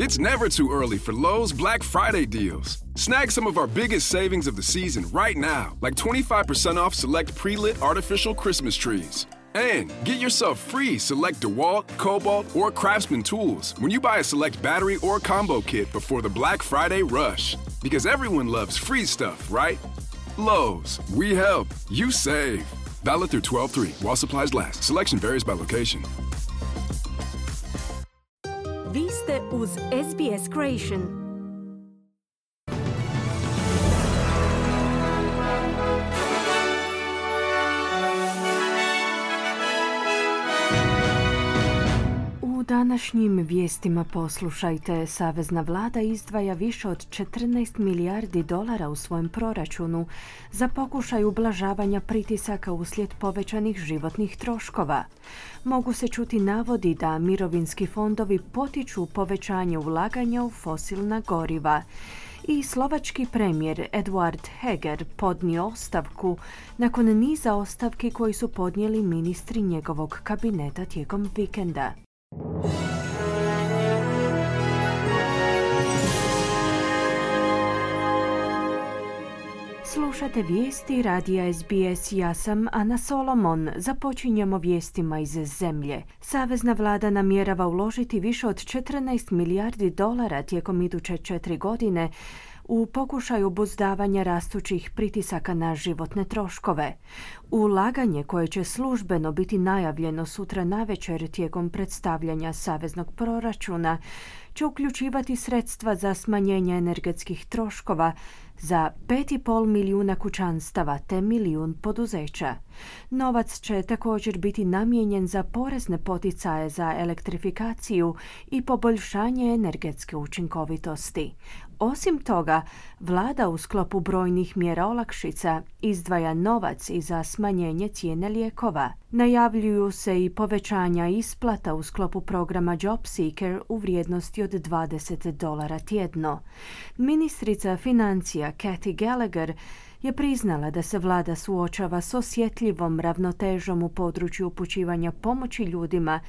It's never too early for Lowe's Black Friday deals. Snag some of our biggest savings of the season right now, like 25% off select pre-lit artificial Christmas trees. And get yourself free select DeWalt, Cobalt, or Craftsman tools when you buy a select battery or combo kit before the Black Friday rush. Because everyone loves free stuff, right? Lowe's, we help, you save. Valid through 12/3 while supplies last. Selection varies by location. Vi ste uz SBS Creation. U današnjim vijestima poslušajte, Savezna vlada izdvaja više od 14 milijardi dolara u svojem proračunu za pokušaj ublažavanja pritisaka uslijed povećanih životnih troškova. Mogu se čuti navodi da mirovinski fondovi potiču povećanje ulaganja u fosilna goriva. I slovački premijer Eduard Heger podnio ostavku nakon niza ostavki koji su podnijeli ministri njegovog kabineta tijekom vikenda. Slušate vijesti radija SBS, ja sam Ana Solomon. Započinjemo vijestima iz zemlje. Savezna vlada namjerava uložiti više od 14 milijardi dolara tijekom iduće 4 godine u pokušaju obuzdavanja rastućih pritisaka na životne troškove. Ulaganje koje će službeno biti najavljeno sutra navečer tijekom predstavljanja saveznog proračuna će uključivati sredstva za smanjenje energetskih troškova za 5,5 milijuna kućanstava te milijun poduzeća. Novac će također biti namijenjen za porezne poticaje za elektrifikaciju i poboljšanje energetske učinkovitosti. Osim toga, vlada u sklopu brojnih mjera olakšica izdvaja novac i za smanjenje cijene lijekova. Najavljuju se i povećanja isplata u sklopu programa JobSeeker u vrijednosti od $20 tjedno. Ministrica financija Kathy Gallagher je priznala da se vlada suočava s osjetljivom ravnotežom u području upućivanja pomoći ljudima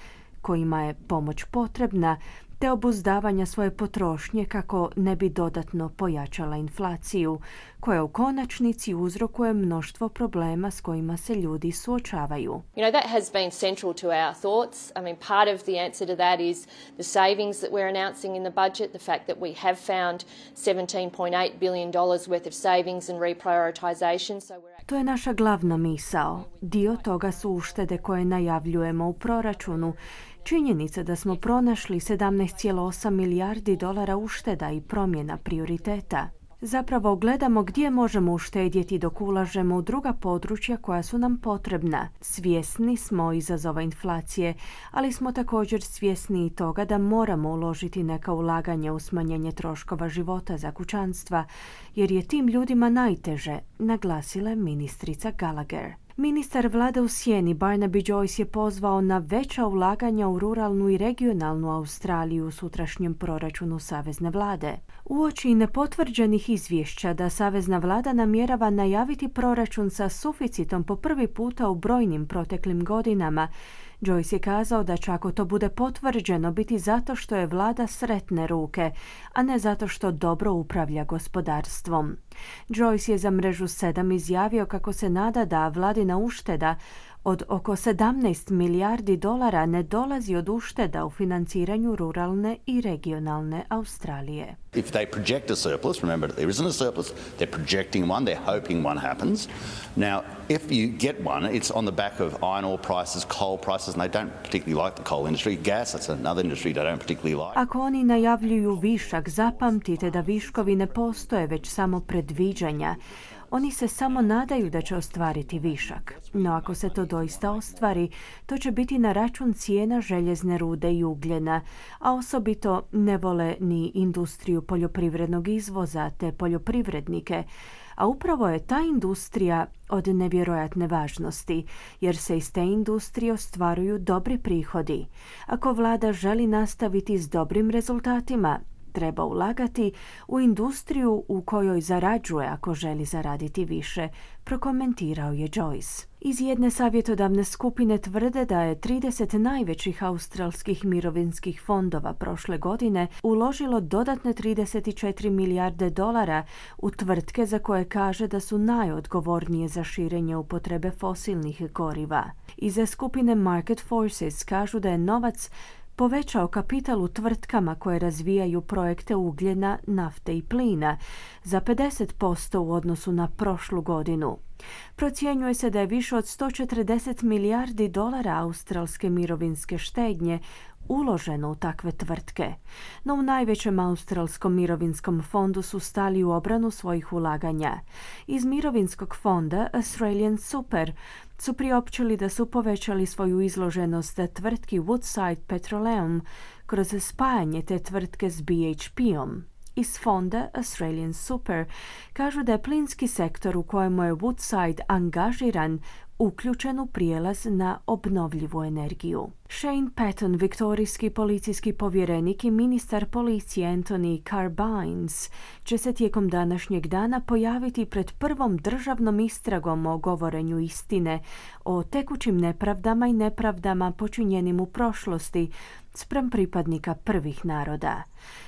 kojima je pomoć potrebna, te obuzdavanja svoje potrošnje kako ne bi dodatno pojačala inflaciju, koja u konačnici uzrokuje mnoštvo problema s kojima se ljudi suočavaju. You know, that has been central to our thoughts. I mean, part of the answer to that is the savings that we're announcing in the budget, the fact that we have found $17.8 billion worth of savings and reprioritization. To je naša glavna misao. Dio toga su uštede koje najavljujemo u proračunu. Činjenica da smo pronašli 17,8 milijardi dolara ušteda i promjena prioriteta. Zapravo gledamo gdje možemo uštedjeti dok ulažemo u druga područja koja su nam potrebna. Svjesni smo izazova inflacije, ali smo također svjesni i toga da moramo uložiti neka ulaganja u smanjenje troškova života za kućanstva, jer je tim ljudima najteže, naglasila je ministrica Gallagher. Ministar vlade u sjeni Barnaby Joyce je pozvao na veća ulaganja u ruralnu i regionalnu Australiju u sutrašnjem proračunu savezne vlade. Uoči nepotvrđenih izvješća da savezna vlada namjerava najaviti proračun sa suficitom po prvi puta u brojnim proteklim godinama, Joyce je kazao da će, ako to bude potvrđeno, biti zato što je vlada sretne ruke, a ne zato što dobro upravlja gospodarstvom. Joyce je za mrežu 7 izjavio kako se nada da vladina ušteda od oko 17 milijardi dolara ne dolazi od ušteda u financiranju ruralne i regionalne Australije. If they project a surplus, remember there isn't a surplus, they're projecting one, they're hoping one happens. Now, if you get one, it's on the back of iron ore prices, coal prices, and they don't particularly like the coal industry. Gas, that's another industry they don't particularly like. Ako oni najavljuju višak, zapamtite da viškovi ne postoje, već samo predviđanja. Oni se samo nadaju da će ostvariti višak. No ako se to doista ostvari, to će biti na račun cijena željezne rude i ugljena, a osobito ne vole ni industriju poljoprivrednog izvoza te poljoprivrednike, a upravo je ta industrija od nevjerojatne važnosti, jer se iz te industrije ostvaruju dobri prihodi. Ako vlada želi nastaviti s dobrim rezultatima, Treba ulagati u industriju u kojoj zarađuje ako želi zaraditi više, prokomentirao je Joyce. Iz jedne savjetodavne skupine tvrde da je 30 najvećih australskih mirovinskih fondova prošle godine uložilo dodatne 34 milijarde dolara u tvrtke za koje kaže da su najodgovornije za širenje upotrebe fosilnih goriva. Iz skupine Market Forces kažu da je novac povećao kapital u tvrtkama koje razvijaju projekte ugljena, nafte i plina za 50% u odnosu na prošlu godinu. Procjenjuje se da je više od 140 milijardi dolara australske mirovinske štednje uloženo u takve tvrtke. No u najvećem australskom mirovinskom fondu su stali u obranu svojih ulaganja. Iz mirovinskog fonda Australian Super su priopćili da su povećali svoju izloženost tvrtki Woodside Petroleum kroz spajanje te tvrtke s BHP-om. Iz fonda Australian Super kažu da je plinski sektor u kojemu je Woodside angažiran uključen u prijelaz na obnovljivu energiju. Shane Patton, viktorijski policijski povjerenik i ministar policije Anthony Carbines, će se tijekom današnjeg dana pojaviti pred prvom državnom istragom o govorenju istine o tekućim nepravdama i nepravdama počinjenim u prošlosti spram pripadnika prvih naroda.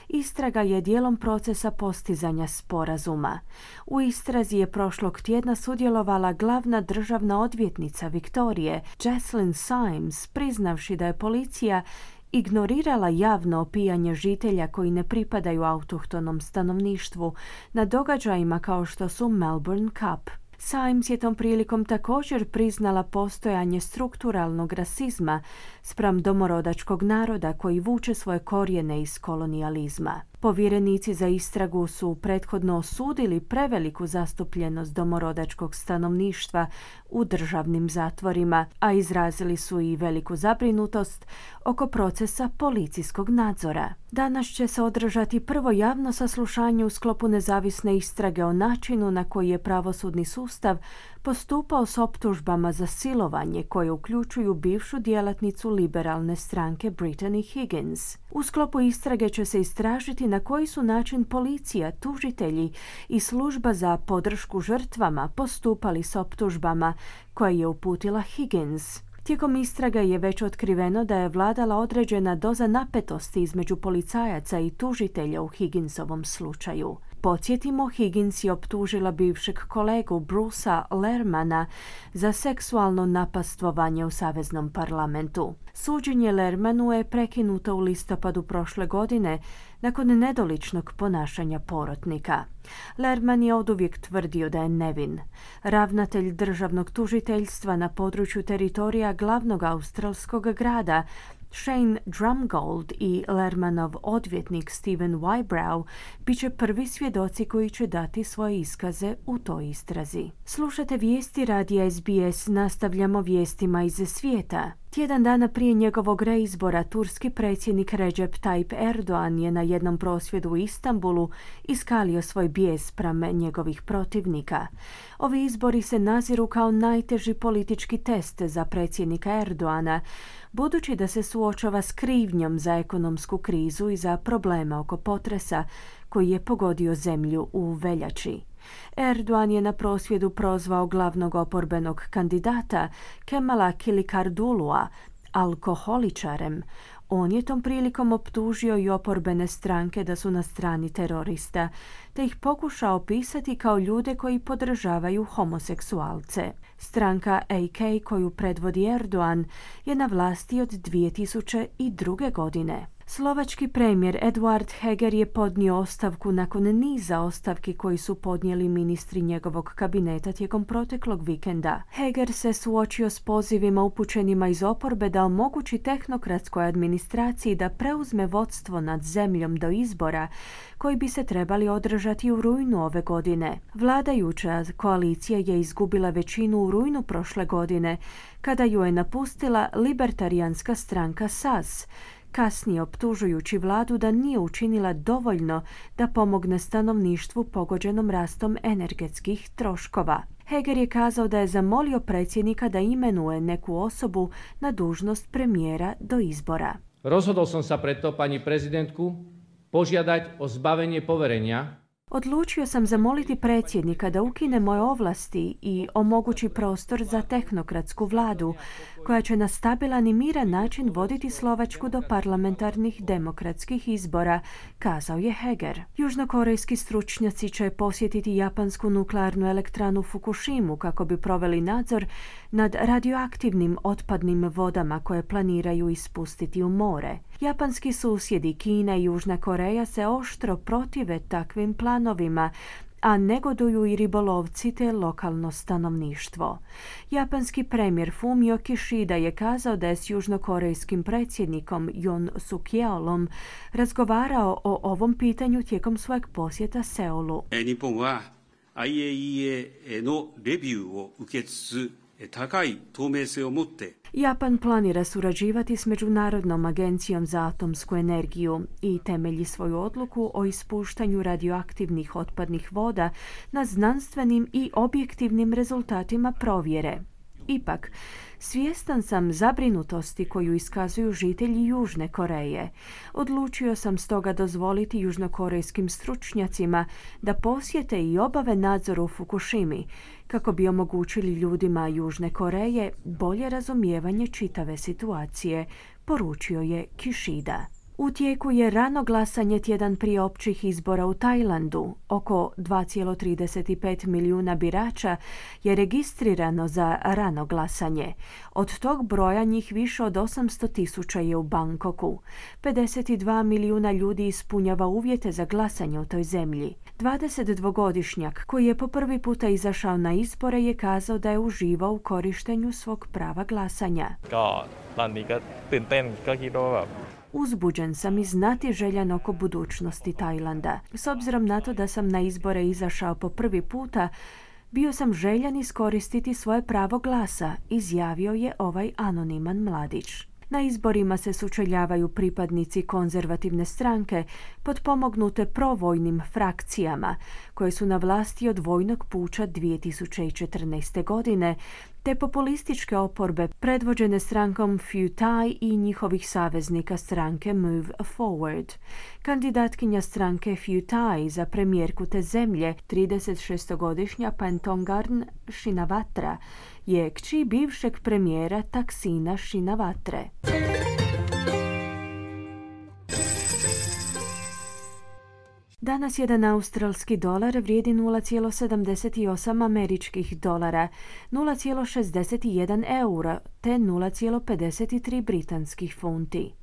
Istraga je dijelom procesa postizanja sporazuma. U istrazi je prošlog tjedna sudjelovala glavna državna odvjetnica Viktorije, Jocelyn Symes, priznavši da je policija ignorirala javno opijanje žitelja koji ne pripadaju autohtonom stanovništvu na događajima kao što su Melbourne Cup. Symes je tom prilikom također priznala postojanje strukturalnog rasizma spram domorodačkog naroda koji vuče svoje korijene iz kolonijalizma. Povjerenici za istragu su prethodno osudili preveliku zastupljenost domorodačkog stanovništva u državnim zatvorima, a izrazili su i veliku zabrinutost oko procesa policijskog nadzora. Danas će se održati prvo javno saslušanje u sklopu nezavisne istrage o načinu na koji je pravosudni sustav postupao s optužbama za silovanje koje uključuju bivšu djelatnicu liberalne stranke Brittany Higgins. U sklopu istrage će se istražiti na koji su način policija, tužitelji i služba za podršku žrtvama postupali s optužbama koje je uputila Higgins. Tijekom istraga je već otkriveno da je vladala određena doza napetosti između policajaca i tužitelja u Higginsovom slučaju. Podsjetimo, Higgins je optužila bivšeg kolegu Brucea Lermana za seksualno napastvovanje u Saveznom parlamentu. Suđenje Lermanu je prekinuto u listopadu prošle godine nakon nedoličnog ponašanja porotnika. Lerman je oduvijek tvrdio da je nevin. Ravnatelj državnog tužiteljstva na području teritorija glavnog australskog grada Shane Drumgold i Lermanov odvjetnik Stephen Whybrow bit će prvi svjedoci koji će dati svoje iskaze u toj istrazi. Slušate vijesti radija SBS, nastavljamo vijestima iz svijeta. Tjedan dana prije njegovog reizbora, turski predsjednik Recep Tayyip Erdogan je na jednom prosvjedu u Istanbulu iskalio svoj bijes spram njegovih protivnika. Ovi izbori se naziru kao najteži politički test za predsjednika Erdogana, budući da se suočava s krivnjom za ekonomsku krizu i za problema oko potresa koji je pogodio zemlju u veljači. Erdogan je na prosvjedu prozvao glavnog oporbenog kandidata Kemala Kilikardulua alkoholičarem. On je tom prilikom optužio i oporbene stranke da su na strani terorista, te ih pokušao opisati kao ljude koji podržavaju homoseksualce. Stranka AK koju predvodi Erdogan je na vlasti od 2002. godine. Slovački premijer Eduard Heger je podnio ostavku nakon niza ostavki koji su podnijeli ministri njegovog kabineta tijekom proteklog vikenda. Heger se suočio s pozivima upućenima iz oporbe da omogući tehnokratskoj administraciji da preuzme vodstvo nad zemljom do izbora koji bi se trebali održati u rujnu ove godine. Vladajuća koalicija je izgubila većinu u rujnu prošle godine kada ju je napustila libertarijanska stranka SAS, kasnije optužujući vladu da nije učinila dovoljno da pomogne stanovništvu pogođenom rastom energetskih troškova. Heger je kazao da je zamolio predsjednika da imenuje neku osobu na dužnost premijera do izbora. Rozhodol som sa preto, pani prezidentku, požiadať o zbavenie poverenia. Odlučio sam zamoliti predsjednika da ukine moje ovlasti i omogući prostor za tehnokratsku vladu, koja će na stabilan i miran način voditi Slovačku do parlamentarnih demokratskih izbora, kazao je Heger. Južnokorejski stručnjaci će posjetiti japansku nuklearnu elektranu Fukushimu kako bi proveli nadzor nad radioaktivnim otpadnim vodama koje planiraju ispustiti u more. Japanski susjedi Kina i Južna Koreja se oštro protive takvim planovima, a negoduju i ribolovci te lokalno stanovništvo. Japanski premijer Fumio Kishida je kazao da je s južnokorejskim predsjednikom Yoon Suk-yeolom razgovarao o ovom pitanju tijekom svojeg posjeta Seulu. 日本は IAEA のレビューを受けつつ高い透明性を持って Japan planira surađivati s Međunarodnom agencijom za atomsku energiju i temelji svoju odluku o ispuštanju radioaktivnih otpadnih voda na znanstvenim i objektivnim rezultatima provjere. Ipak, svjestan sam zabrinutosti koju iskazuju žitelji Južne Koreje. Odlučio sam stoga dozvoliti južnokorejskim stručnjacima da posjete i obave nadzor u Fukushimi, kako bi omogućili ljudima Južne Koreje bolje razumijevanje čitave situacije, poručio je Kishida. U tijeku je rano glasanje tjedan prije općih izbora u Tajlandu. Oko 2,35 milijuna birača je registrirano za rano glasanje. Od tog broja njih više od 800.000 je u Bangkoku. 52 milijuna ljudi ispunjava uvjete za glasanje u toj zemlji. 22-godišnjak koji je po prvi puta izašao na izbore je kazao da je uživao u korištenju svog prava glasanja. Uzbuđen sam i znatiželjan oko budućnosti Tajlanda. S obzirom na to da sam na izbore izašao po prvi puta, bio sam željan iskoristiti svoje pravo glasa, izjavio je ovaj anoniman mladić. Na izborima se sučeljavaju pripadnici konzervativne stranke potpomognute provojnim frakcijama koje su na vlasti od vojnog puča 2014. godine, te populističke oporbe predvođene strankom Pheu Thai i njihovih saveznika stranke Move Forward. Kandidatkinja stranke Pheu Thai za premijerku te zemlje, 36-godišnja Paetongtarn Shinawatra, je kći bivšeg premijera Thaksina Shinawatre. Danas jedan australski dolar vrijedi 0,78 američkih dolara, 0,61 eura te 0,53 britanskih funti.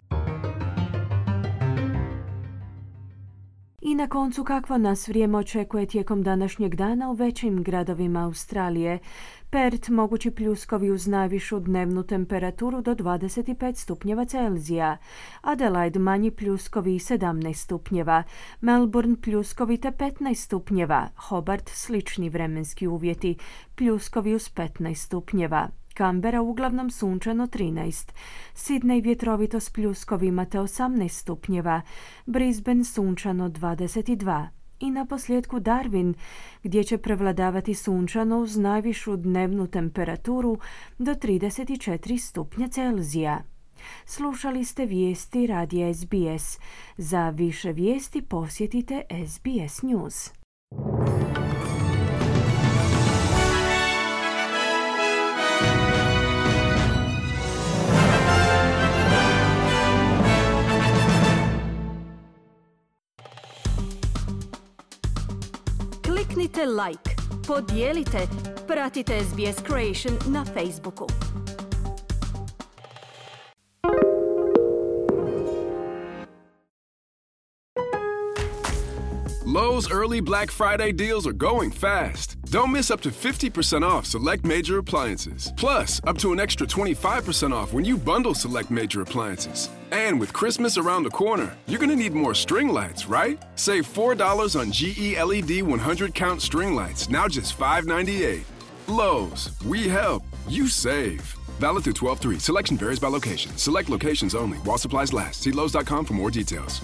I na koncu, kakvo nas vrijeme očekuje tijekom današnjeg dana u većim gradovima Australije. Perth mogući pljuskovi uz najvišu dnevnu temperaturu do 25 stupnjeva Celzija. Adelaide manji pljuskovi 17 stupnjeva. Melbourne pljuskovi te 15 stupnjeva. Hobart slični vremenski uvjeti, pljuskovi uz 15 stupnjeva. Canberra uglavnom sunčano 13, Sydney vjetrovito s pljuskovima te 18 stupnjeva, Brisbane sunčano 22 i na posljedku Darwin gdje će prevladavati sunčano uz najvišu dnevnu temperaturu do 34 stupnja Celzija. Slušali ste vijesti radija SBS. Za više vijesti posjetite SBS News. Kliknite like, podijelite, pratite SBS Creation na Facebooku. Lowe's early Black Friday deals are going fast. Don't miss up to 50% off select major appliances. Plus, up to an extra 25% off when you bundle select major appliances. And with Christmas around the corner, you're going to need more string lights, right? Save $4 on GE LED 100-count string lights, now just $5.98. Lowe's, we help, you save. Valid through 12/3. Selection varies by location. Select locations only. While supplies last. See Lowe's.com for more details.